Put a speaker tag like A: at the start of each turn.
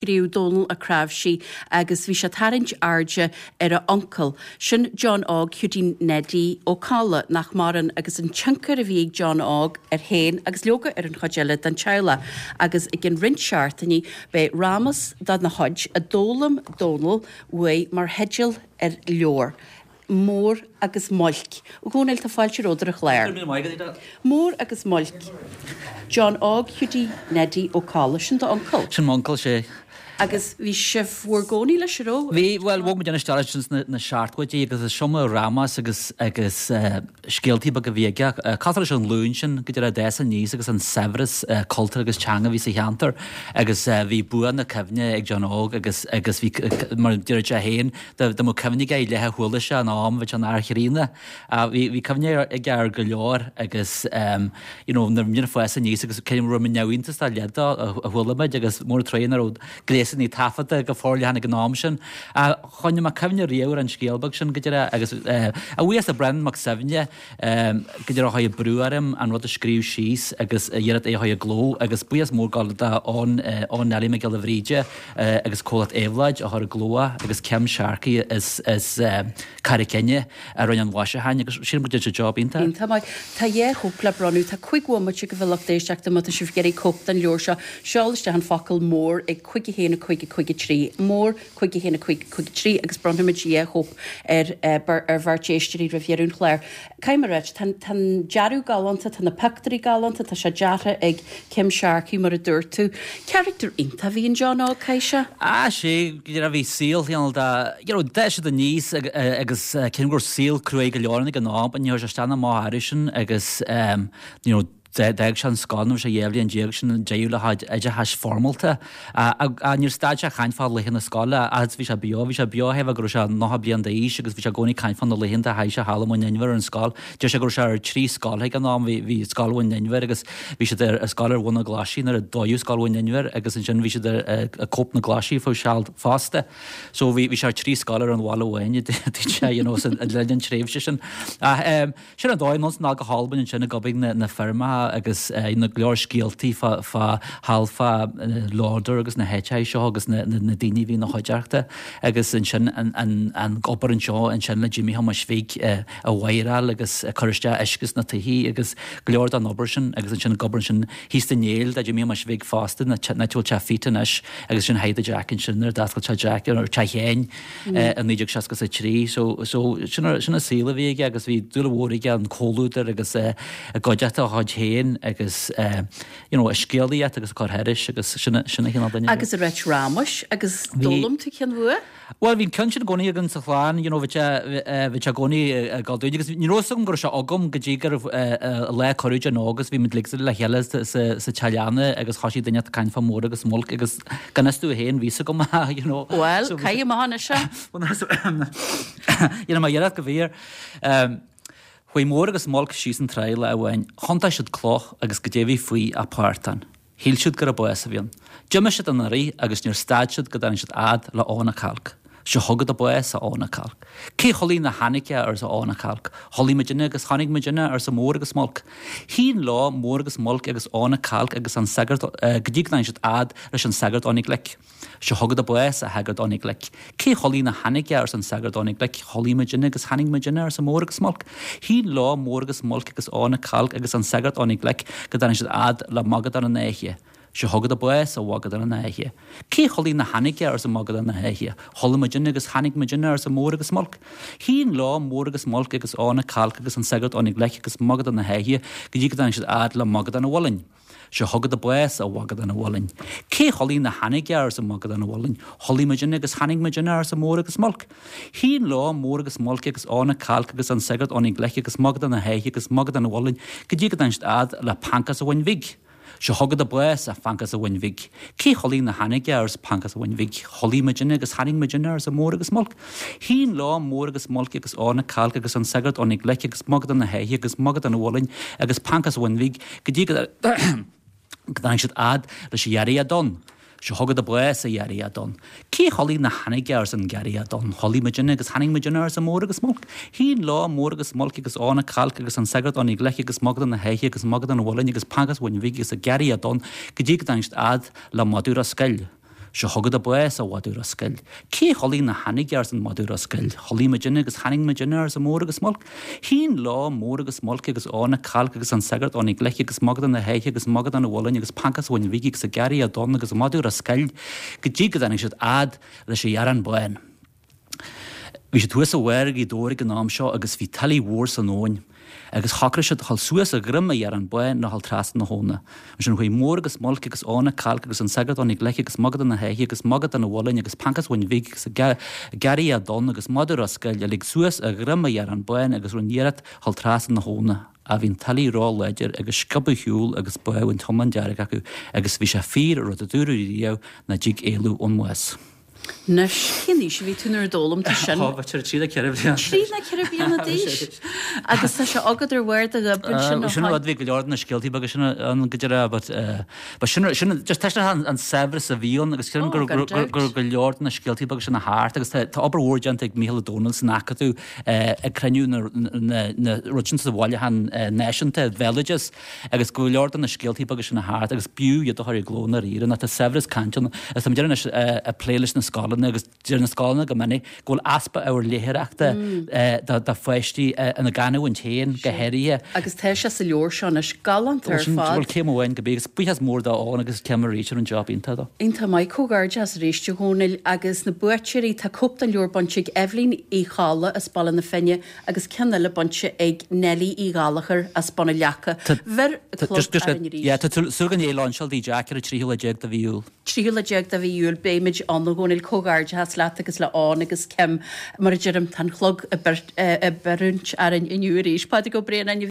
A: Scríobh Dónall Ó Cnáimhsí agus bhí sé ag tarraingt airde ar a uncail, sin John Óg Hiúdaí Neidí Ó Colla, nach maireann, agus an tionchar a bhí ag John Óg air féin agus leoga ar an chuid eile den teaghlach. Agus i gcionn roinnt seachtainí beidh Rámas dona chuid a d'fhoghlaim Dónall uaidh mar theideal ar leabhar. Mór agus Muilc. A Dhónaill, tá fáilte romhat ar an chlár. Mór agus Muilc. John Óg Hiúdaí Neidí Ó Colla, sin d'uncail?
B: Sin m'uncail, sea.
A: Agus bhí sibh bhur gcónaí leis, an raibh?
B: Bhí, bhuel, bhog muid isteach leis sna na seachtóidí agus is iomaí rámas agus agus scéaltaí beaga a bhí aige. Cosúil leis an ghlúin sin go dtí a d'fhás aníos agus an saibhreas cultúir agus teanga a bhí sa cheantar agus bhí bua na cuimhne ag John Óg agus agus bhí mar a deir sé féin Dá mbeadh cuimhne aige i leith a chuala sé in am, bheadh sé ina fhear chríonna. Bhí cuimhne aige ar go leor agus you know nuair a bhí muid ag fás aníos agus cé raibh muid neamhiontas dá leithéid dó a chuala muid agus mór an truaighe nach raibh gléasanna taifeadta go forleathan ag an am sin. Choinnigh mé cuimhne riamh ar an scéal beag sin go deireadh agus a bhuíochas le Breandán Mac Suibhne go deireadh a chuir brú orm an rud a scríobh síos agus a iarraidh é a chur i gcló agus buíochas mór ag dul do Eoin Eoin Neilí Mac Giolla Bhríde agus Comhlacht Éabhlóid a chuir i gcló é agus Kim Sharkey as as Carraig Fhinne a rinne an mhaisiúcháin agus sílim go dtearn siad job
A: iontach. Iontach maith. Tá dhá chóip le bronnadh. Tá 5 bhomaite agaibh a lucht éisteachta má tá sibh ag iarraidh cóip den leabhar seo. Seol isteach an focal 'mór' ag 5 1 5 5 3. Mór 5 1 5 5 3 agus bronnfaimid dhá chóip ar ar bheirt éisteoirí roimh dheireadh an chláir. Caithfidh mé a ráit, tá tá an dearadh galánta, tá na pictiúirí galánta, tá sé deartha ag Kim Sharkey mar a dúirt tú. Character iontach a bhí in John Óg, caithfidh sé.
B: Ah sea, you know, bhí saol cineál de, you know, d'fhás siad aníos agus cé go raibh saol cruaidh go leor ann ag an am, ní chuir sé isteach ná amach orthu sin agus you know, D'fhág sé an scoil nuair a bhí sé 12 bhliain sin an deireadh le chuid oideachais foirmeálta. Níor stad sé ag caint fá laetha na scoile agus bhí sé beo, bhí sé beo thaobh go raibh sé 90 bliain d'aois agus bhí sé i gcónaí ag caint fá na laethanta a chaith sé thall i Móin Inbhir ar an scoil. Deir sé go raibh sé ar thrí scoil ag an am, bhí bhí scoil Mhóin Inbhir agus bhí siad ar scoil ar Bhun na Glaise nuair a dódh scoil Mhóin Inbhir agus ansin bhí siad ar Cóip na Glaise fá seal fosta. So bhí bhí sé ar thrí scoil ar an bhaile amháin, dúirt sé, you know, sa le linn an tréimhse sin. Ach Sin an dóigh, anonn 's anall go hAlbain ansin ag obair na feirmeacha agus na go leor scéaltaí fá thall fá Lauder agus na háiteacha seo agus na daoine a bhí ina chuideachta agus ansin an obair anseo ansin le Jimmy Thomáis Bhig ag wire-áil agus ag cur isteach uisce sna tithe agus go leor den obair sin agus ansin ag obair ansin thíos sa Néill do Jimmy Thomáis Bhig fosta, an áit a bhfuil Teach Phete anois agus ansin Hide Jack ansin nuair a d'oscail Teach Jack ar Teach Sheáin. i 1963. So, so, sin an saol a bhí aige agus bhí dúil mhór aige an comhluadar agus i gcuideachta a chuid féin agus you know, a scéalaíocht agus a cur thairis agus sin a sin a chineál
A: duine. Agus ag ráit rámais agus d'fhoghlaim tú ceann uaidh?
B: Bhuel, bhí an ceann sin i gcónaí againn sa chlann, you know, bhí sé bhí sé i gcónaí ag dul dúinn agus ní raibh fhios agam go raibh sé agam go dtí go raibh lá cuireadh den óg agus bhí muid uilig le chéile sa sa teach leanna agus thosaigh duine ag caint fá Mór agus Muilc agus Gan fhios domh féin, bhí fhios agam é, you know.
A: Bhuel, caith amach anois é.
B: You know, má dhéarfadh go bhfíor. Chuaigh Mór agus Muilc síos an tráigh lá amháin, thiontaigh siad cloch agus goidé bhí faoi ach portán. Shíl siad gurab bás a bhí ann. D'imigh siad ina rith agus níor stad siad go dtáinig siad fhad le Abhainn a' Chailc. Seo chugat an bás, a Abhainn a' Chailc. Cé chodlaigh nach tháinig é, arsa Abhainn a' Chailc. Chodlaigh muidinne agus tháinig muidinne, arsa Mór agus Muilc. Shín leo Mór agus Muilc agus Abhainn a' Chailc agus an sagart go dtí go dtáinig siad fhad leis an sagart Eoin Glic. Seo chugat an bás, a shagart Eoin Ghlic. Cé chodlaigh nach tháinig é, arsa an sagart Eoin Glic. Chodlaigh muidinne agus tháinig muidinne, arsa Mór agus Muilc. Shín leo Mór agus Muilc agus Abhainn a' Chailc agus an sagart Eoin Glic go dtáinig siad fhad le Magadán an Fháiche. Seo chugat an bás, a Mhagadán an Fháiche. Cé chodlaigh nach tháinig é, arsa Magadán na hÁithe. Chodlaigh muidinne agus tháinig muidinne, arsa Mór agus Muilc. Shín leo Mór agus Muilc agus Abhainn a' Chailc agus an sagart Eoin Glic agus Magadán na hÁithe go dtí go dtáinig siad fhad le Magadán an Mhuilinn. Seo chugat an bás, a Mhagadán an Mhuilinn. Cé chodlaigh nach tháinig é, arsa Magadán an Mhuilinn. Chodlaigh muidinne agus tháinig muidinne, arsa Mór agus Muilc. Shín leo Mór agus Muilc agus Abhainn a' Chailc agus an sagart Eoin Glic agus Magadán na hÁithe agus Magadán an Mhuilinn go dtí go dtáinig siad fhad le Pancas an Bhoinn Bhig. Seo chugat an bás, a Phancas an Bhoinn Bhig. Cé chodlaigh nach tháinig é, arsa Pancas an Bhoinn Bhig. Chodlaigh muidinne agus tháinig muidinne, arsa Mór agus Muilc. Shín leo Mór agus Muilc agus Abhainn a' Chailc agus an sagart Eoin Glic agus Magadán na hÁithe agus Magadán an Mhuilinn agus Pancas an Bhoinn Bhig go dtí go dtáinig siad fhad leis an Ghiorria Donn. Seo chugat an bás, a Ghiorria Donn. Cé chodlaigh nach tháinig é, arsa an Giorria Donn. Chodlaigh muidinne agus tháinig muidinne, arsa Mór agus Muilc. Shín leo Mór agus Muilc agus Abhainn a' Chailc agus an sagart Eoin Glic agus Magadán na hÁithe agus Magadán an Mhuilinn agus Pancas an Bhoinn Bhig agus an Giorria Donn go dtí go dtáinig siad fhad le madadh Ros Goill. Seo chugat a bás, a mhadadh Ros Goill. Cé chodlaigh ná tháinig, arsa an madadh Ros Goill. Chodlaigh muidinne agus tháinig muidinne, arsa Mór agus Muilc. Shín leo Mór agus Muilc agus Eoghan a' Cailc agus an Sagart Eoghan Glic agus Mogadán na hÉithe agus Mogadán a' Mhuilinn agus Pancas Bhoinn Bhig agus a Garraí Donn agus an madadh Ros Goill go dtí go dtáinig siad fhad leis an Ghearrán Bán. Bhí siad thuas i bharr Ghaoth Dobhair ag an am seo agus bhí tuile mhór san abhainn agus shocraigh siad a dhul suas a dhroim a Ghearrán Báin ná dhul trasna na habhna. Ansin chuaigh Mór agus Muilc agus Eoghan a' Cailc agus an Sagart Eoghan Glic agus Mogadán na hÉithe agus Mogadán a' Mhuilinn agus Pancas Bhoinn Bhig agus a Garraí Donn agus Madadh Ros Goill uilig suas a dhroim a Ghearrán Báin agus rinne iarracht dhul trasna na habhna. Ach bhí an tuile ró-láidir agus sciobadh ar shiúl agus bádh an t-iomlán dearg acu agus bhí sé fíor an rud a dúradh riamh nach dtig éalú ón mbás.
A: Anois, cén aois a bhí tú nuair a d'fhoghlaim tú sin?
B: Ó, b'fhéidir trí nó ceithre bliana.
A: Trí nó ceithre bliana d'aois? Agus tá sé agat ar bharr do ghoib ansin ó
B: Sin rud, bhí go leor de na scéaltaí beaga sin ann go deireadh, but but sin sin just tá an an saibhreas a bhí ann agus sílim go go go go leor de na scéaltaí beaga sin a thart agus tá tá obair mhór déanta ag Mícheál Ó Domhnaill san Acadamh ag cruinniú na na na rud sin sa bhailiúchán náisiúnta bhéaloideas Agus go leor de na scéaltaí beaga sin a thart agus b'fhiú iad a chur i gcló ndáiríre nó tá saibhreas cainte ann agus tá muid anois ag plé leis na scoileanna agus deir na scoileanna go minic go bhfuil easpa ábhar léitheoireachta do pháistí ina gcanúint féin go háirithe.
A: Agus tá sé sa leabhar seo anois, galánta ar fad.
B: Bhuel céim amháin go bí agus buíochas mór do Eoghan agus Kim arís ar an job iontach dó.
A: Iontach maith, comhghairdeas arís a Dhónaill agus na buaiteoirí, tá cóip den leabhar bainte ag Eibhlín Uí Cholla as Baile na Finne agus ceann eile bainte ag Neilí Uí Ghallachair as Bun an Leaca. Bheir
B: club arainn arís. Yeah, tá súil againn é a lainseáil dí Jack ar an 13ú lá de mhí Iúil.
A: 13ú lá de mhí Iúil, beimid ann a Dhónaill, comhghairdeachas leat agus le Eoghan agus Kim. Mar a deirim, tá an clog ag oiriúint arainn inniu arís. Pádraig Ó Braonáin.